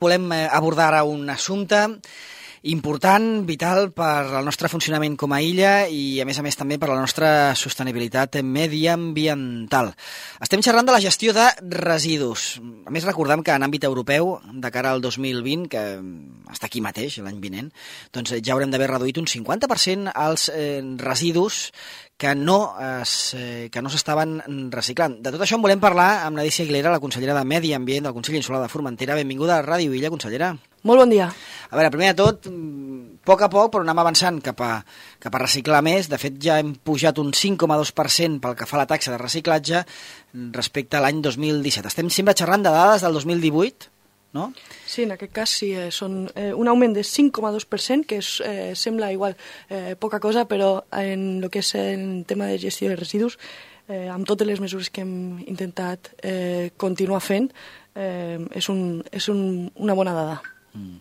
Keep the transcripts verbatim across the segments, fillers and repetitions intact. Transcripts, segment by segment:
Volem abordar ara un assumpte important, vital per al nostre funcionament com a illa i, a més a més, també per a la nostra sostenibilitat mediambiental. Estem xerrant de la gestió de residus. A més, recordem que en àmbit europeu, de cara al dos mil vint, que està aquí mateix, l'any vinent, doncs ja haurem d'haver reduït un cinquanta per cent els eh, residus que no es, eh, que no s'estaven reciclant. De tot això en volem parlar amb Nadícia Aguilera, la consellera de Medi Ambient del Consell Insular de Formentera. Benvinguda a Ràdio Illa, consellera. Molt bon dia. A veure, primer de tot, a poc a poc, però anem avançant cap a, cap a reciclar més. De fet, ja hem pujat un cinc coma dos per cent pel que fa a la taxa de reciclatge respecte a l'any dos mil disset. Estem sempre xerrant de dades del dos mil divuit, no? Sí, en aquest cas sí, eh, són eh, un augment de cinc coma dos per cent, que és, eh, sembla igual eh, poca cosa, però en el que és el tema de gestió de residus, eh, amb totes les mesures que hem intentat eh, continuar fent, eh, és, un, és un, una bona dada. Mm.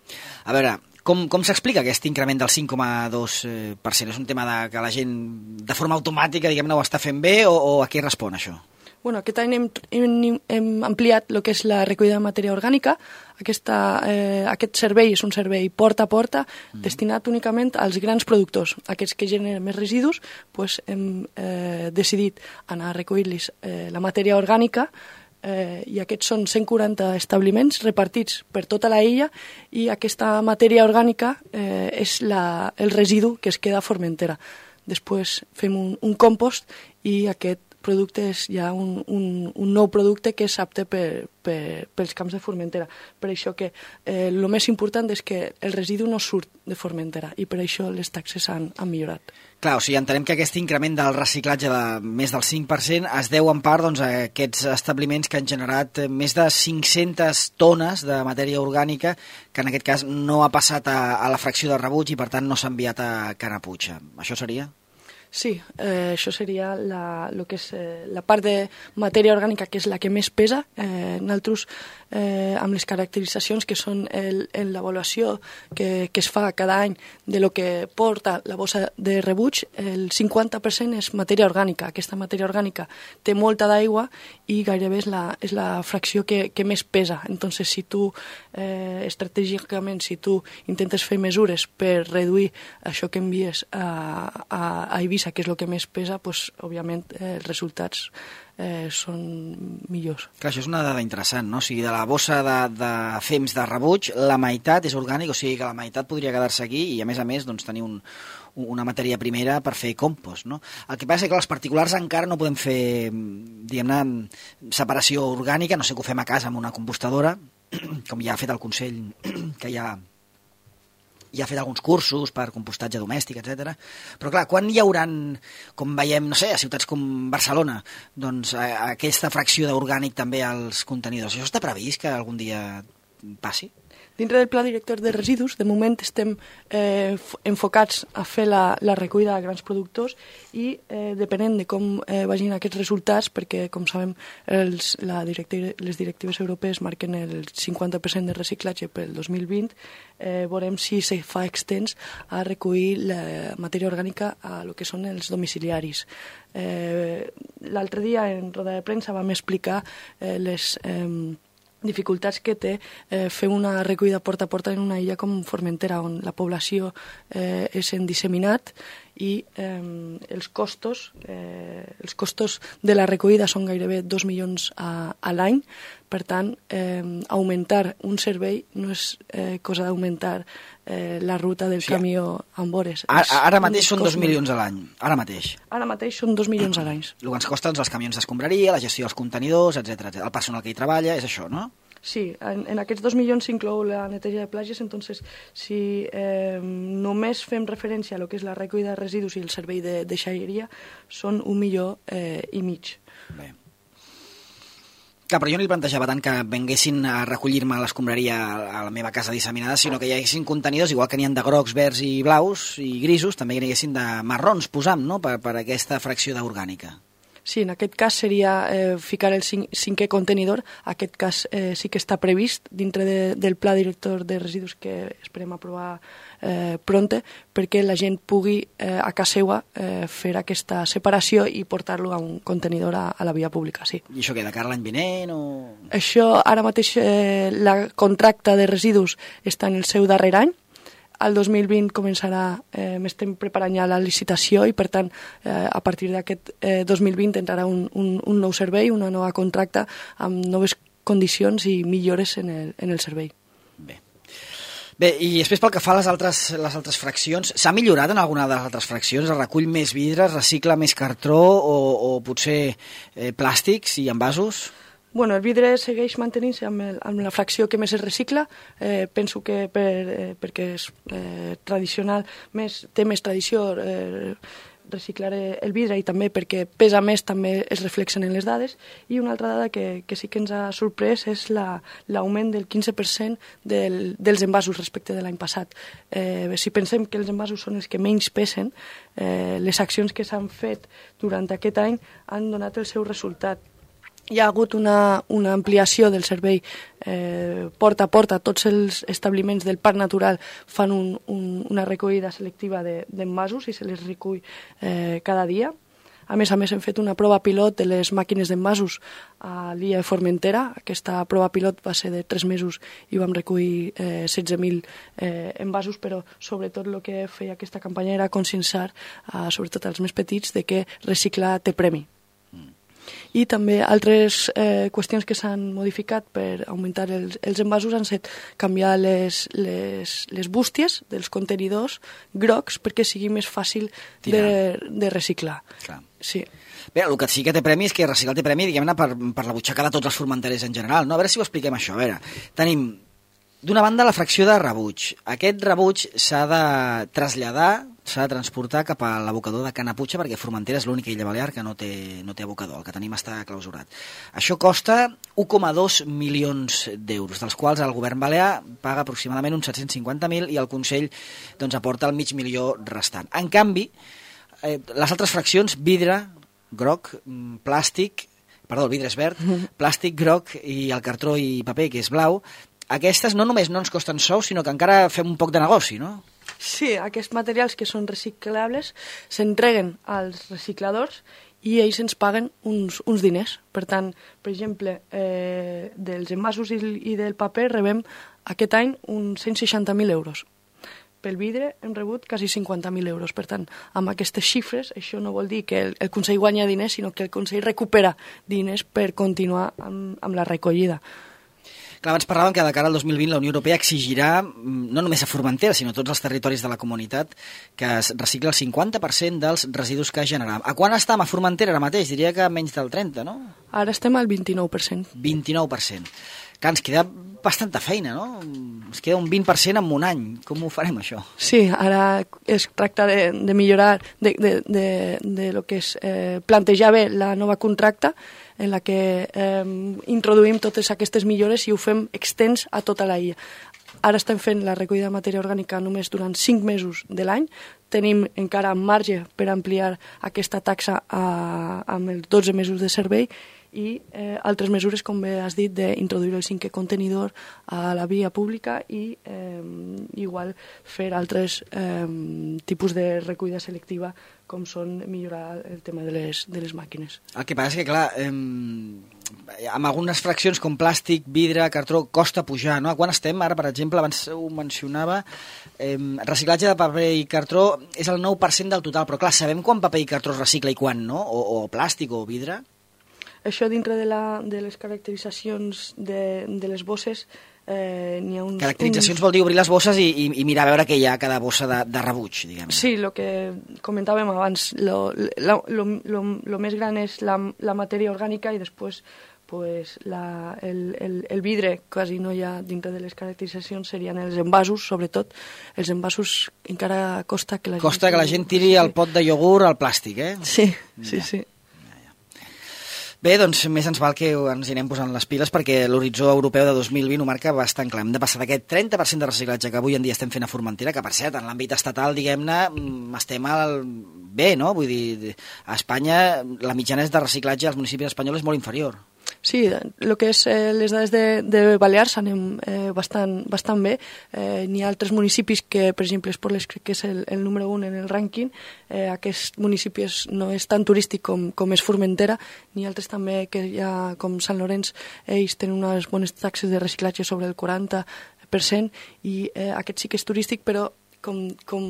A veure, com, com s'explica aquest increment del cinc coma dos per cent? És un tema de, que la gent de forma automàtica, diguem-ne, ho està fent bé o, o a què respon això? Bueno, aquest any hem, hem, hem ampliat el que és la recollida de matèria orgànica. Aquesta, eh, aquest servei és un servei porta a porta, mm. destinat únicament als grans productors. Aquests que generen més residus, pues, hem eh, decidit anar a recollir-los eh, la matèria orgànica, eh, i aquests són cent quaranta establiments repartits per tota la illa, i aquesta matèria orgànica eh, és la, el residu que es queda a Formentera. Després fem un, un compost i aquest producte és ja un, un, un nou producte que és apte per, per, pels camps de Formentera. Per això que eh, el més important és que el residu no surt de Formentera i per això les taxes han, han millorat. Clar, o sigui, entenem que aquest increment del reciclatge de més del cinc per cent es deu en part doncs, a aquests establiments que han generat més de cinc-centes tones de matèria orgànica que en aquest cas no ha passat a, a la fracció de rebuig i per tant no s'ha enviat a Canaputxa. Això seria? Sí, eh, això seria la, lo que és, eh, la part de matèria orgànica que és la que més pesa. Eh, nosaltres, eh, amb les caracteritzacions que són el, en l'avaluació que, que es fa cada any de lo que porta la bossa de rebuig, el cinquanta per cent és matèria orgànica. Aquesta matèria orgànica té molta d'aigua i gairebé és la, és la fracció que, que més pesa. Entonces, si tu, eh, estratègicament, si tu intentes fer mesures per reduir això que envies a, a, a Eivissa, que és el que més pesa, doncs, òbviament, eh, els resultats eh, són millors. Clar, això és una dada interessant, no? O sigui, de la bossa de, de fems de rebuig, la meitat és orgànic, o sigui que la meitat podria quedar-se aquí i, a més a més, doncs, tenir un, una matèria primera per fer compost, no? El que passa és que els particulars encara no podem fer, diguem-ne, separació orgànica, no sé que ho fem a casa amb una compostadora, com ja ha fet el Consell, que ja... ja ha fet alguns cursos per compostatge domèstic, etcètera. Però clar, quan hi hauran, com veiem, no sé, a ciutats com Barcelona, doncs a, a aquesta fracció d'orgànic també als contenidors? Això està previst que algun dia passi? Dintre del Pla Director de Residus, de moment estem eh, enfocats a fer la, la recollida de grans productors i eh, depenent de com eh, vagin aquests resultats, perquè, com sabem, els, la directi- les directives europees marquen el cinquanta per cent de reciclatge pel dos mil vint, eh, veurem si se fa extens a recollir la matèria orgànica a lo que són els domiciliaris. Eh, l'altre dia, en roda de premsa, vam explicar eh, les... Eh, dificultats que té eh, fer una recollida porta a porta en una illa com Formentera, on la població eh, és en disseminat i eh, els costos eh, els costos de la recollida són gairebé dos milions a, a l'any. Per tant, eh, augmentar un servei no és eh, cosa d'augmentar eh, la ruta del sí, camió amb hores. Ara, ara mateix són dos milions a l'any, ara mateix. Ara mateix són dos milions a l'any. El que ens costa doncs, els camions d'escombraria, la gestió dels contenidors, etcètera. El personal que hi treballa, és això, no? Sí, en, en aquests dos milions s'inclou la neteja de platges, entonces si eh, només fem referència a lo que és la recollida de residus i el servei de deixalleria, són un milió eh, i mig. Bé. Clar, però jo no li plantejava tant que venguessin a recollir-me a l'escombraria a la meva casa disseminada, sinó que hi haguessin contenidors, igual que n'hi ha de grocs, verds i blaus i grisos, també n'hi haguessin de marrons, posam, no?, per, per aquesta fracció d'orgànica. Sí, en aquest cas seria eh, ficar el cin cinquè contenidor. Aquest cas eh, sí que està previst dintre de, del pla director de residus que esperem aprovar eh, pronte, perquè la gent pugui eh, a casa seva eh, fer aquesta separació i portar-lo a un contenidor a, a la via pública, sí. I això què, de cara l'any vinent o...? Això ara mateix eh, la contracta de residus està en el seu darrer any. El dos mil vint començarà, eh, m'estem preparant ja la licitació i, per tant, eh, a partir d'aquest eh, dos mil vint entrarà un, un, un nou servei, una nova contracta, amb noves condicions i millores en el, en el servei. Bé. Bé, i després pel que fa a les altres, les altres fraccions, s'ha millorat en alguna de les altres fraccions? Es recull més vidre, es recicla més cartró o, o potser eh, plàstics i envasos? Bueno, el vidre segueix mantenint-se amb, el, amb la fracció que més es recicla. Eh, penso que per, eh, perquè és eh, tradicional, més, té més tradició eh, reciclar el vidre i també perquè pesa més també es reflexen en les dades. I una altra dada que, que sí que ens ha sorprès és l'augment la, del quinze per cent del, dels envasos respecte de l'any passat. Eh, si pensem que els envasos són els que menys pesen, eh, les accions que s'han fet durant aquest any han donat el seu resultat. Hi ha hagut una, una ampliació del servei eh, porta a porta. Tots els establiments del Parc Natural fan un, un, una recollida selectiva d'envasos de, i se les recull eh, cada dia. A més a més, hem fet una prova pilot de les màquines d'envasos a l'illa de Formentera. Aquesta prova pilot va ser de tres mesos i vam recollir eh, setze mil eh, envasos, però sobretot el que feia aquesta campanya era conscienciar, eh, sobretot als més petits, de que reciclar té premi. I també altres eh, qüestions que s'han modificat per augmentar els, els envasos han set canviar les, les, les bústies dels contenidors grocs perquè sigui més fàcil de, de reciclar. Clar. Sí. Bé, el que sí que té premi és que reciclar té premi, diguem-ne, per, per la butxaca de tots els formenterers en general, no? A veure si ho expliquem això. A veure, tenim, d'una banda, la fracció de rebuig. Aquest rebuig s'ha de traslladar, s'ha de transportar cap a l'abocador de Canaputxa, perquè Formentera és l'única illa balear que no té, no té abocador, el que tenim està clausurat. Això costa un coma dos milions d'euros, dels quals el govern balear paga aproximadament uns set-cents cinquanta mil i el Consell doncs, aporta el mig milió restant. En canvi, eh, les altres fraccions, vidre, groc, plàstic, perdó, el vidre és verd, plàstic, groc i el cartró i paper, que és blau, aquestes no només no ens costen sous, sinó que encara fem un poc de negoci, no? Sí, aquests materials que són reciclables s'entreguen als recicladors i ells ens paguen uns, uns diners. Per tant, per exemple, eh, dels envasos i, i del paper rebem aquest any uns cent seixanta mil euros. Pel vidre hem rebut quasi cinquanta mil euros. Per tant, amb aquestes xifres, això no vol dir que el, el Consell guanya diners, sinó que el Consell recupera diners per continuar amb, amb la recollida. Clar, abans parlàvem que de cara al dos mil vint la Unió Europea exigirà, no només a Formentera, sinó a tots els territoris de la comunitat, que es recicla el cinquanta per cent dels residus que generam. A quan estem a Formentera ara mateix? Diria que menys del trenta, no? Ara estem al vint-i-nou per cent. vint-i-nou per cent. Clar, ens queda bastanta feina, no? Ens queda un vint per cent en un any. Com ho farem, això? Sí, ara es tracta de, de millorar, de, de, de, de lo que és eh, plantejar bé la nova contracta, en la que eh, introduïm totes aquestes millores i ho fem extens a tota la illa. Ara estem fent la recollida de matèria orgànica només durant cinc mesos de l'any. Tenim encara marge per ampliar aquesta taxa a, amb els dotze mesos de servei i eh, altres mesures, com bé has dit, d'introduir el cinquè contenidor a la via pública i eh, igual fer altres eh, tipus de recollida selectiva, com són millorar el tema de les, de les màquines. El que passa és que, clar, eh, amb algunes fraccions com plàstic, vidre, cartró, costa pujar, no? Quan estem? Ara, per exemple, abans ho mencionava, eh, reciclatge de paper i cartró és el nou per cent del total, però clar, sabem quan paper i cartró es recicla i quan no? O, o plàstic o vidre? Això dintre de, la, de les caracteritzacions de, de les bosses eh, n'hi ha uns... Caracteritzacions uns... vol dir obrir les bosses i, i, i mirar a veure què hi ha a cada bossa de, de rebuig, diguem. Sí, el que comentàvem abans, lo, lo, lo, lo, lo més gran és la, la matèria orgànica i després pues, la, el, el, el vidre quasi no hi ha dintre de les caracteritzacions, serien els envasos, sobretot. Els envasos encara costa que la costa gent... que la gent tiri el pot de iogurt al plàstic, eh? Sí, sí, ja. sí. Bé, doncs més ens val que ens hi anem posant les piles perquè l'horitzó europeu de dos mil vint ho marca bastant clar. Hem de passar d'aquest trenta per cent de reciclatge que avui en dia estem fent a Formentera, que per cert, en l'àmbit estatal, diguem-ne, estem al... bé, no? Vull dir, a Espanya la mitjana de reciclatge als municipis espanyols és molt inferior. Sí, el que és eh, les dades de, de Balears anem eh, bastant, bastant bé. Eh, N'hi ha altres municipis que, per exemple, Esporles crec que és el, el número un en el rànquing. Eh, aquest municipi és, no és tan turístic com, com és Formentera. N'hi ha altres també que ja, com Sant Llorenç, ells tenen unes bones taxes de reciclatge sobre el quaranta per cent i eh, aquest sí que és turístic, però com, com,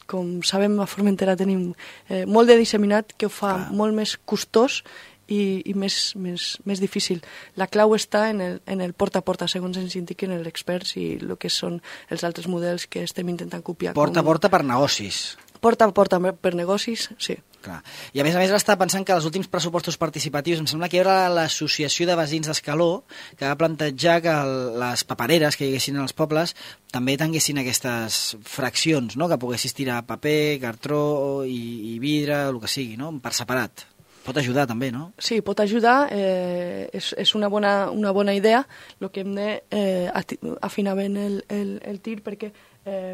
com sabem a Formentera tenim eh, molt de disseminat que ho fa ah. molt més costós i, i més, més, més difícil. La clau està en el, en el porta a porta, segons ens indiquen els experts i el que són els altres models que estem intentant copiar. Porta com... a porta per negocis. Porta a porta per negocis, sí. Clar. I a més a més està pensant que els últims pressupostos participatius em sembla que hi haurà l'associació de veïns d'Escaló que va plantejar que el, les papereres que hi haguessin als pobles també tinguessin aquestes fraccions, no? Que poguessis tirar paper, cartró i, i vidre, el que sigui, no? Per separat. Pot ajudar també, no? Sí, pot ajudar, eh, és, és una, bona, una bona idea. El que hem de eh, afinar ben el, el, el tir perquè eh,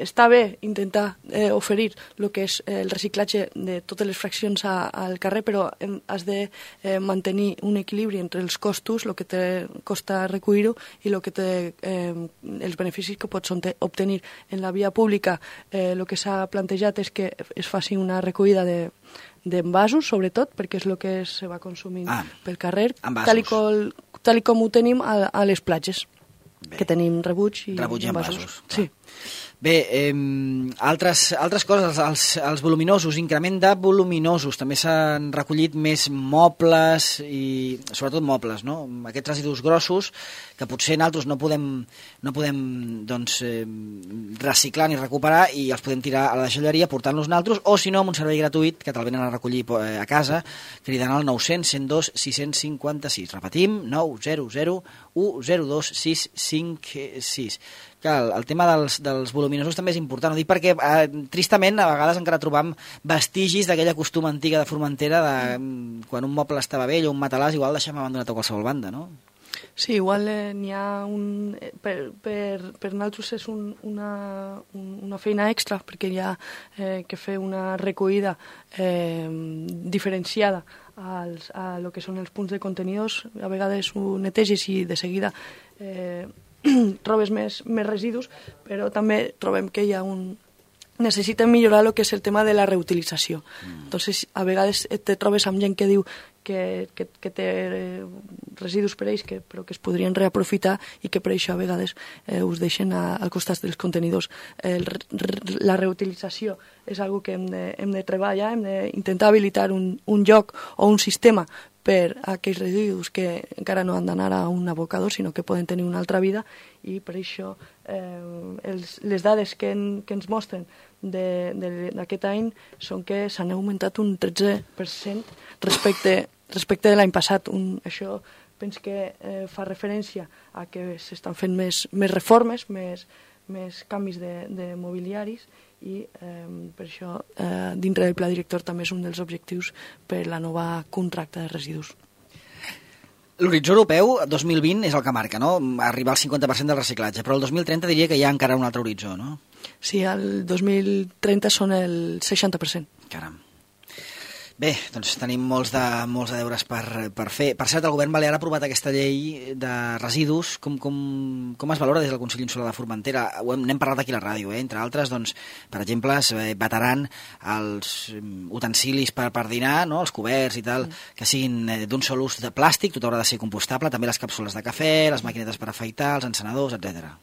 està bé intentar eh, oferir el que és el reciclatge de totes les fraccions a, al carrer, però hem, has de eh, mantenir un equilibri entre els costos, el que te costa recollir-ho i el que te, eh, els beneficis que pots obtenir. En la via pública eh, el que s'ha plantejat és que es faci una recollida de d'envasos, sobretot, perquè és el que se va consumint ah, pel carrer, tal i, com, tal i com ho tenim a, a les platges, bé. Que tenim rebuig i rebuig i envasos. envasos. Sí. Bé, eh, altres, altres coses, els, els voluminosos, increment de voluminosos, també s'han recollit més mobles i sobretot mobles, no? Aquests residus grossos que potser nosaltres no podem, no podem doncs, eh, reciclar ni recuperar i els podem tirar a la deixalleria portant-los nosaltres o si no amb un servei gratuït que te'l venen a recollir a casa cridant al nou cents, cent dos, sis cents cinquanta-sis. Repetim, nou zero zero u zero dos sis cinc sis. Clar, el tema dels, dels voluminosos també és important, ho dic perquè eh, tristament a vegades encara trobam vestigis d'aquella costum antiga de Formentera de mm. quan un moble estava vell o un matalàs igual deixem abandonat a qualsevol banda, no? Sí, igual eh, n'hi ha un... Per, per, per nosaltres és un, una, un, una feina extra perquè hi ha eh, que fer una recollida eh, diferenciada als, a lo que són els punts de contenidors. A vegades ho neteges i de seguida eh, trobes més, més residus, però també trobem que hi ha un... necessiten millorar el que és el tema de la reutilització. Mm. Entonces, a vegades te trobes amb gent que diu que, que, que té residus per ells, que, però que es podrien reaprofitar i que per això a vegades eh, us deixen a, al costat dels contenidors. El, la reutilització és una que hem de, hem de treballar, hem d'intentar habilitar un, un lloc o un sistema per a aquells residus que encara no han d'anar a un abocador, sinó que poden tenir una altra vida, i per això eh, els, les dades que, en, que ens mostren d'aquest any són que s'han augmentat un tretze per cent respecte, respecte de l'any passat. Un, això penso que eh, fa referència a que s'estan fent més, més reformes, més, més canvis de, de mobiliaris, i eh, per això eh, dintre del pla director també és un dels objectius per la nova contracta de residus. L'horitzó europeu dos mil vint és el que marca, no? Arribar al cinquanta per cent del reciclatge, però el dos mil trenta diria que hi ha encara un altre horitzó, no? Sí, el dos mil trenta són el seixanta per cent. Caram. Bé, doncs tenim molts de, molts de deures per, per fer. Per cert, el govern balear ha aprovat aquesta llei de residus. Com, com, com es valora des del Consell Insular de Formentera? Ho hem, n'hem parlat aquí a la ràdio, eh? Entre altres, doncs, per exemple, es vetaran els utensilis per, per dinar, no? Els coberts i tal, mm. que siguin d'un sol ús de plàstic, tot haurà de ser compostable, també les càpsules de cafè, les maquinetes per afaitar, els encenedors, etcètera.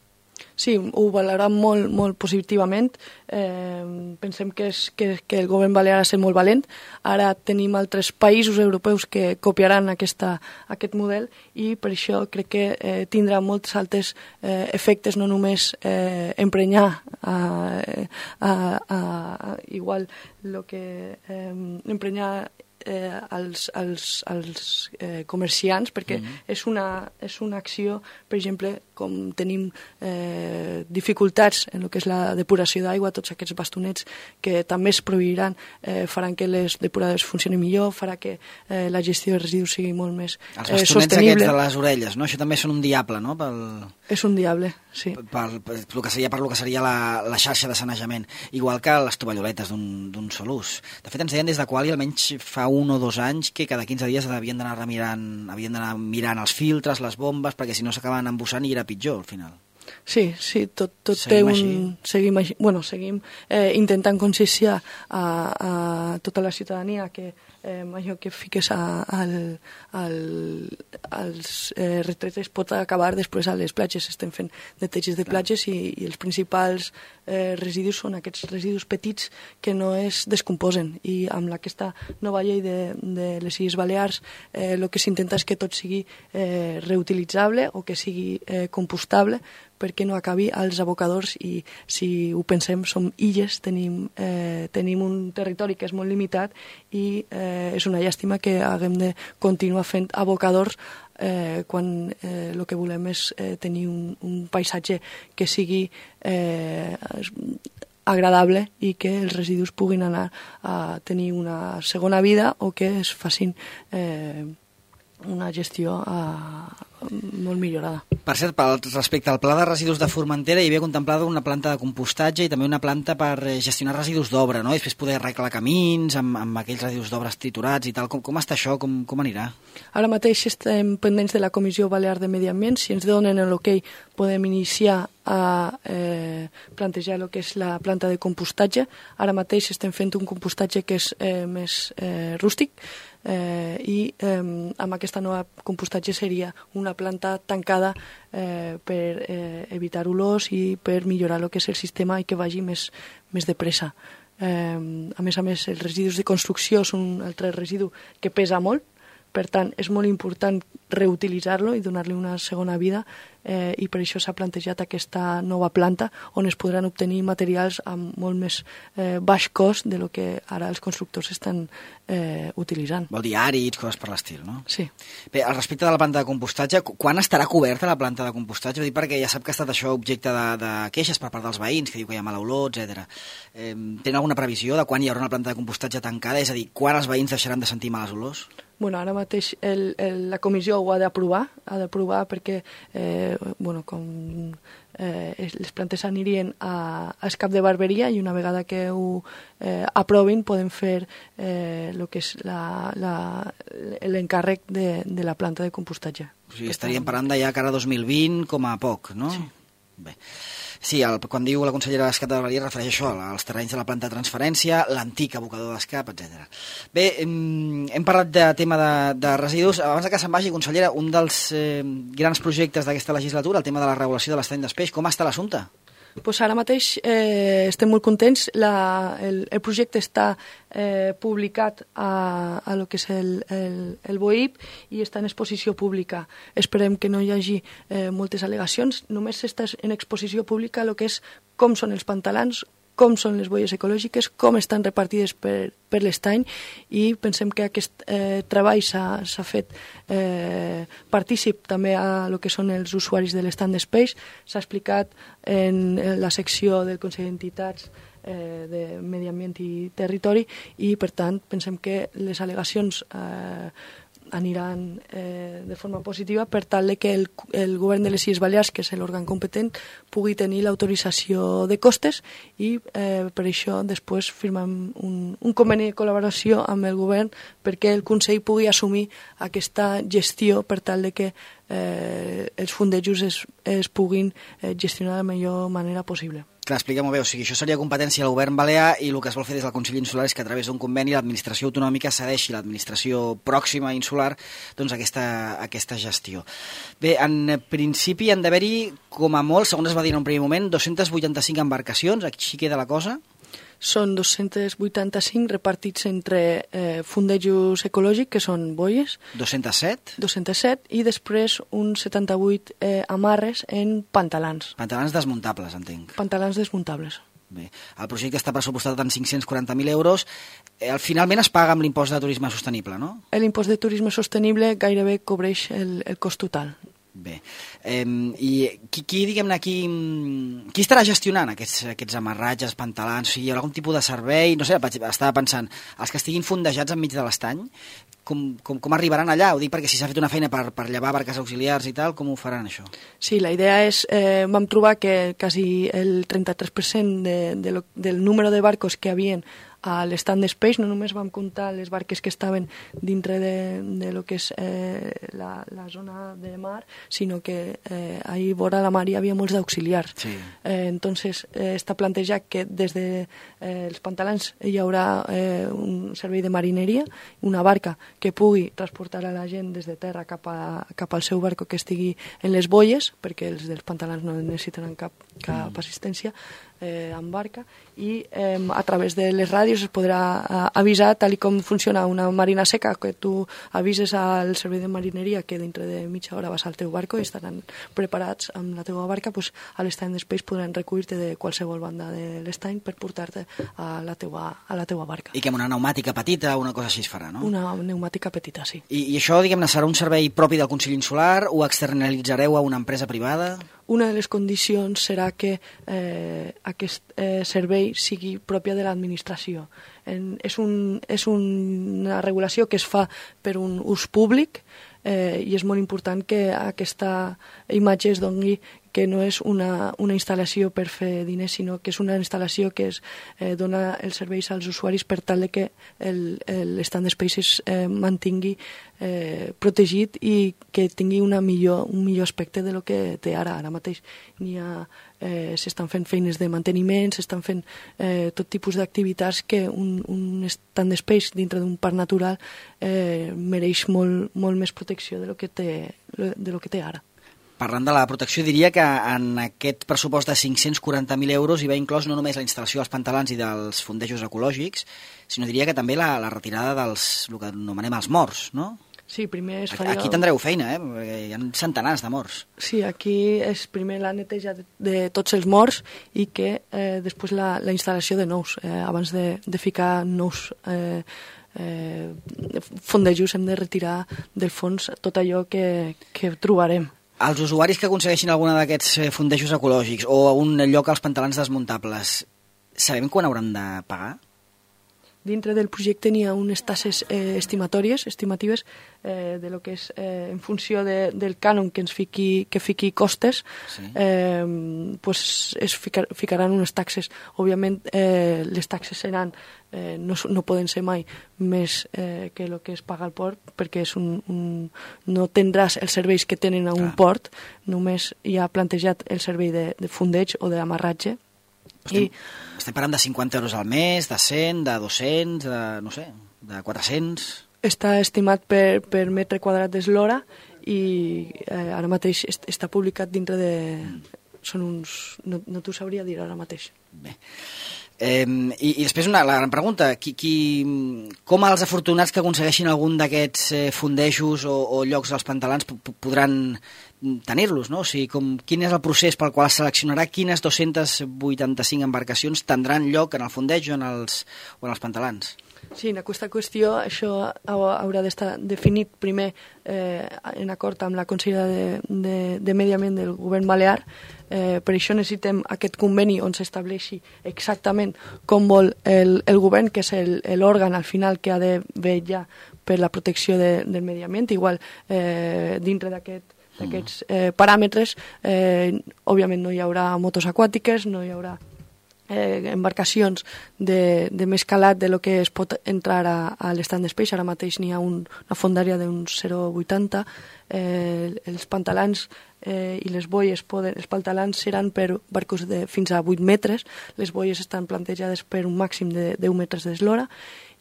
Sí, ho valorarà molt, molt positivament. Eh, pensem que, és, que, que el govern balear ha estat molt valent. Ara tenim altres països europeus que copiaran aquesta, aquest model i per això crec que eh, tindrà molts altres eh, efectes, no només eh, emprenyar a, a, a, a, igual lo que eh, emprenyar eh, als, als, als eh, comerciants, perquè mm-hmm. és, una, és una acció, per exemple, com tenim eh, dificultats en el que és la depuració d'aigua, tots aquests bastonets que també es prohibiran eh, faran que les depuradores funcionin millor, farà que eh, la gestió de residus sigui molt més eh, sostenible. Els bastonets aquests de les orelles, no? Això també són un diable, no? Pel... És un diable, sí. Per, per, per, que seria, per lo que seria la, la xarxa de sanejament. Igual que les tovalloletes d'un sol ús. De fet, ens deien des de Quali, almenys fa un o dos anys, que cada quinze dies havien d'anar remirant, havien d'anar mirant els filtres, les bombes, perquè si no s'acabaven embussant i era pitjor, al final. Sí, sí, tot, tot té un... Així. Seguim així. Bueno, seguim eh, intentant conscienciar a, a tota la ciutadania que eh, allò que fiques a, al, al, als eh, retretes pot acabar després a les platges. Estem fent neteges de platges i, i els principals eh, residus són aquests residus petits que no es descomposen. I amb aquesta nova llei de, de les Illes Balears eh, el que s'intenta és que tot sigui eh, reutilitzable o que sigui eh, compostable, perquè no acabi als abocadors, i si ho pensem som illes, tenim, eh, tenim un territori que és molt limitat i eh, és una llàstima que haguem de continuar fent abocadors eh, quan eh, el que volem és eh, tenir un, un paisatge que sigui eh, agradable i que els residus puguin anar a tenir una segona vida o que es facin eh, una gestió eh, molt millorada. Per cert, pel, respecte al pla de residus de Formentera, hi havia contemplada una planta de compostatge i també una planta per gestionar residus d'obra, no? I després poder arreglar camins amb, amb aquells residus d'obres triturats i tal. Com, com està això? Com, com anirà? Ara mateix estem pendents de la Comissió Balear de Medi Ambient. Si ens donen l'ok, podem iniciar a eh, plantejar el que és la planta de compostatge. Ara mateix estem fent un compostatge que és eh, més eh, rústic, eh, i eh, amb aquesta nova compostatge seria una planta tancada eh, per eh, evitar olors i per millorar el que és el sistema i que vagi més, més de pressa. Eh, a més a més, els residus de construcció són un altre residu que pesa molt, per tant, és molt important reutilitzar-lo i donar-li una segona vida, eh, i per això s'ha plantejat aquesta nova planta on es podran obtenir materials amb molt més eh, baix cost de lo que ara els constructors estan eh, utilitzant. Vol dir àrids, coses per l'estil, no? Sí. Bé, al respecte de la planta de compostatge, quan estarà coberta la planta de compostatge? Vull dir, perquè ja sap que ha estat això objecte de, de queixes per part dels veïns, que diu que hi ha mala olor, etcètera. Eh, tenen alguna previsió de quan hi haurà una planta de compostatge tancada? És a dir, quan els veïns deixaran de sentir males olors? Bueno, ara mateix el, el, la comissió ho ha d'aprovar, ha d'aprovar perquè eh, bueno, com eh, les plantes anirien a, a Escap de Barberia i una vegada que ho eh, aprovin podem fer eh, lo que és l'encàrrec de, de la planta de compostatge. O sigui, estaríem parlant de ja cara dos mil vint com a poc, no? Sí. Bé. Sí, el, quan diu la consellera d'Escap de Barberia refereix això, als terrenys de la planta de transferència, l'antic abocador d'Escap, etcètera. Bé, hem, hem parlat de tema de, de residus. Abans de que se'n vagi, consellera, un dels eh, grans projectes d'aquesta legislatura, el tema de la regulació de l'estany d'espeix, com està l'assumpte? Pues ara mateix eh, estem molt contents. La, el, el projecte està eh, publicat a, a lo que és el, el, el B O I P i està en exposició pública. Esperem que no hi hagi eh, moltes al·legacions. Només està en exposició pública el que és com són els pantalans, com són les boies ecològiques, com estan repartides per, per l'estany, i pensem que aquest eh, treball s'ha fet eh, partícip també a lo que són els usuaris de l'estand d'espeix. S'ha explicat en la secció del Consell d'Entitats eh, de Medi Ambient i Territori i, per tant, pensem que les al·legacions eh, aniran eh, de forma positiva per tal de que el, el govern de les Illes Balears, que és l'òrgan competent, pugui tenir l'autorització de costes i eh, per això després firmem un, un conveni de col·laboració amb el govern perquè el Consell pugui assumir aquesta gestió per tal de que eh, els fondejos es, es puguin eh, gestionar de la millor manera possible. Clar, expliquem-ho bé, o sigui, això seria competència del govern balear i el que es vol fer des del Consell Insular és que a través d'un conveni l'administració autonòmica cedeixi l'administració pròxima insular doncs aquesta, aquesta gestió. Bé, en principi han d'haver-hi, com a molt, segons es va dir en un primer moment, dos-centes vuitanta-cinc embarcacions, així queda la cosa? Són dos-centes vuitanta-cinc repartits entre eh, fondejos ecològics, que són boies. dos-centes set? dos-centes set, i després uns setanta-vuit eh, amarres en pantalans. Pantalans desmuntables, entenc. Pantalans desmuntables. Bé, el projecte està pressupostat en cinc-cents quaranta mil euros. Eh, finalment es paga amb l'impost de turisme sostenible, no? L'impost de turisme sostenible gairebé cobreix el, el cost total. Bé, eh, i qui, qui diguem-ne, qui, qui estarà gestionant aquests, aquests amarratges, pantalans? O sigui, hi haurà algun tipus de servei? No sé, estava pensant, els que estiguin fondejats enmig de l'estany, com, com, com arribaran allà? Ho dic perquè si s'ha fet una feina per, per llevar barques auxiliars i tal, com ho faran això? Sí, la idea és, eh, vam trobar que quasi el trenta-tres per cent de, de lo, del número de barcos que havien a l'stand Space, no només vam comptar les barques que estaven dintre de, de lo que és eh, la, la zona de mar, sinó que eh, ahí vora la mar hi havia molts d'auxiliars. Sí. Eh, entonces, eh, està plantejat que des de eh, els pantalans hi haurà eh, un servei de marineria, una barca que pugui transportar a la gent des de terra cap, a, cap al seu barco que estigui en les boies, perquè els dels pantalans no necessitaran cap, cap assistència, eh, amb barca, i eh, a través de les ràdios es podrà eh, avisar, tal i com funciona una marina seca, que tu avises al servei de marineria que dintre de mitja hora vas al teu barco i estaran preparats amb la teva barca, pues, a l'estany d'Space podran recollir-te de qualsevol banda de l'estany per portar-te a la teua, a la teua barca. I que amb una pneumàtica petita, una cosa així es farà, no? Una pneumàtica petita, sí. I, i això, diguem-ne, serà un servei propi del Consell Insular o externalitzareu a una empresa privada? Una de les condicions serà que eh, aquest eh, servei sigui pròpia de l'administració. En, és, un, és una regulació que es fa per un ús públic eh, i és molt important que aquesta imatge es doni que no és una, una instal·lació per fer diners, sinó que és una instal·lació que es eh, dona els serveis als usuaris per tal de que l'Stand Space es eh, mantingui eh, protegit i que tingui una millor, un millor aspecte de lo que té ara. Ara mateix n'hi ha, eh, s'estan fent feines de manteniment, s'estan fent eh, tot tipus d'activitats que un, un Stand Space dintre d'un parc natural eh, mereix molt, molt més protecció de lo que té, de lo que té ara. Parlant de la protecció, diria que en aquest pressupost de cinc-cents quaranta mil euros hi va inclòs no només la instal·lació dels pantalans i dels fondejos ecològics, sinó diria que també la, la retirada dels, el que anomenem els morts, no? Sí, primer es faria... Aquí tindreu feina, eh? Perquè hi ha centenars de morts. Sí, aquí és primer la neteja de, de tots els morts i que eh, després la, la instal·lació de nous. Eh, abans de, de ficar nous eh, eh, fondejos hem de retirar del fons tot allò que, que trobarem. Els usuaris que aconsegueixin alguna d'aquests fondejos ecològics o un lloc als pantalans desmuntables, sabem quan hauran de pagar? Dintre del projecte n'hi ha unes tasses eh, estimatòries, estimatives, eh, de lo que és eh, en funció de, del cànon que ens fiqui, que fiqui costes, sí. eh, pues es ficar, ficaran unes taxes. Òbviament, eh, les taxes seran, eh, no, no poden ser mai més eh, que el que es paga al port, perquè és un, un, no tindràs els serveis que tenen a un Clar. port, només hi ha plantejat el servei de, de fondeig o d'amarratge. Estem, I... estem parlant de cinquanta euros al mes, de cent, de dos-cents, de, no sé, de quatre-cents... Està estimat per, per metre quadrat d'eslora i eh, ara mateix est, està publicat dintre de... Mm. Són uns... No, no t'ho sabria dir ara mateix. Bé. Eh, i, I després una la gran pregunta, qui, qui, com els afortunats que aconsegueixin algun d'aquests eh, fondejos o, o llocs als pantalans podran tenir-los, no? O sigui, com, quin és el procés pel qual es seleccionarà quines dos-cents vuitanta-cinc embarcacions tindran lloc en el fondeig o en els, o en els pantalans? Sí, en aquesta qüestió això haurà d'estar definit primer eh, en acord amb la Consellera de, de, de Medi Ambient del Govern Balear. Eh, per això necessitem aquest conveni on s'estableixi exactament com vol el, el govern, que és l'òrgan al final que ha de vetllar per la protecció de, del medi ambient. Igual, eh, dintre d'aquest d'aquests eh, paràmetres, eh, òbviament no hi haurà motos aquàtiques, no hi haurà eh, embarcacions de, de més calat de lo que es pot entrar a, a l'Stand Space. Ara mateix n'hi ha un, una fondària d'uns zero coma vuitanta. Eh, els pantalans eh, i les boies poden, els pantalans seran per barcos de fins a vuit metres, les boies estan plantejades per un màxim de deu metres d'eslora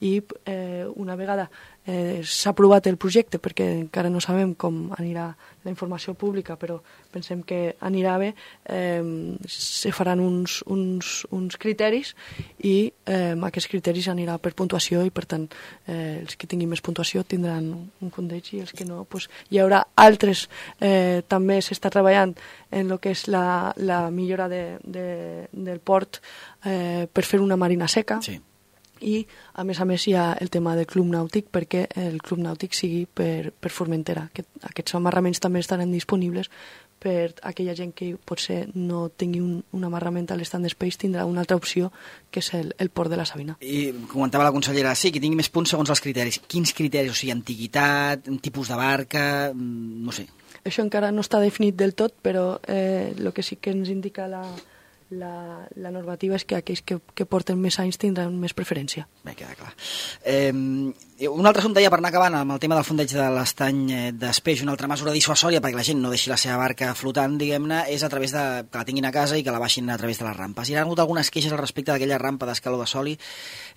i eh, una vegada eh, s'ha aprovat el projecte, perquè encara no sabem com anirà la informació pública, però pensem que anirà bé, eh, se faran uns, uns, uns criteris i eh, aquests criteris anirà per puntuació i per tant eh, els que tinguin més puntuació tindran un fondeig i els que no, pues, hi haurà haurà altres, eh, també s'està treballant en el que és la, la millora de, de, del port eh, per fer una marina seca. Sí. I, a més a més, hi ha el tema del club nàutic, perquè el club nàutic sigui per, per Formentera. Aquest, aquests amarraments també estaran disponibles per aquella gent que potser no tingui un, un amarrament a l'Stand Space, tindrà una altra opció, que és el, el port de la Sabina. I comentava la consellera, sí, que tingui més punts segons els criteris. Quins criteris? O sigui, antiguitat, un tipus de barca, no sé. Això encara no està definit del tot, però eh, el que sí que ens indica la... La, la normativa és que aquells que, que porten més anys tindran més preferència. Bé, queda clar. Eh, un altre assumpte ja per anar acabant amb el tema del fondeig de l'estany d'Espeix, una altra mesura dissuasòria perquè la gent no deixi la seva barca flotant, diguem-ne, és a través de que la tinguin a casa i que la baixin a través de les rampes. Hi ha hagut algunes queixes al respecte d'aquella rampa d'escaló de Soli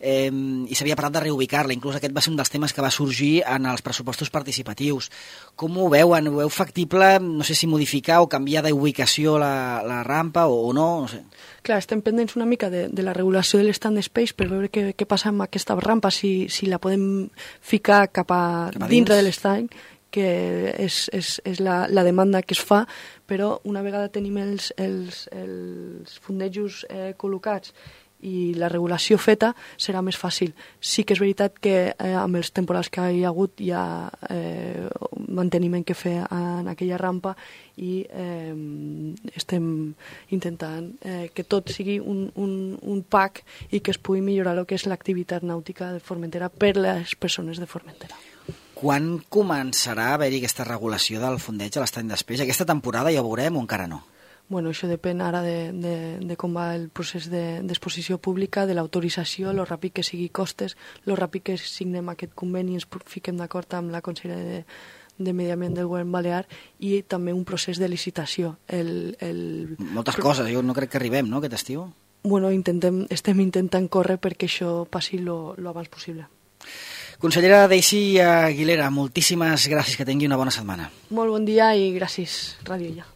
eh, i s'havia parlat de reubicar-la. Inclús aquest va ser un dels temes que va sorgir en els pressupostos participatius. Com ho veuen? Ho veu factible? No sé si modificar o canviar d'ubicació la, la rampa o, o no, no sé. Clar, estem pendents una mica de, de la regulació de l'Stand Space per veure què, què passa amb aquesta rampa, si, si la podem ficar cap a, cap a dintre de l'estany, que és, és, és la, la demanda que es fa, però una vegada tenim els, els, els fondejos eh, col·locats i la regulació feta, serà més fàcil. Sí que és veritat que eh, amb els temporals que hi ha hagut hi ha eh, manteniment que fer en aquella rampa i eh, estem intentant eh, que tot sigui un, un, un pack i que es pugui millorar el que és l'activitat nàutica de Formentera per les persones de Formentera. Quan començarà a haver-hi aquesta regulació del fondeig a l'estany d'Espeix? Aquesta temporada ja ho veurem o encara no? Bueno, això depèn ara de, de, de com va el procés d'exposició de, pública, de l'autorització, lo ràpid que sigui costes, lo ràpid que signem aquest conveni i ens fiquem d'acord amb la Conselleria de, de Medi Ambient del Govern Balear i també un procés de licitació. El, el... Moltes coses, jo no crec que arribem, no?, aquest estiu. Bueno, intentem, estem intentant córrer perquè això passi lo, lo abans possible. Consellera Daisy Aguilera, moltíssimes gràcies, que tingui una bona setmana. Molt bon dia i gràcies, Ràdio Ja.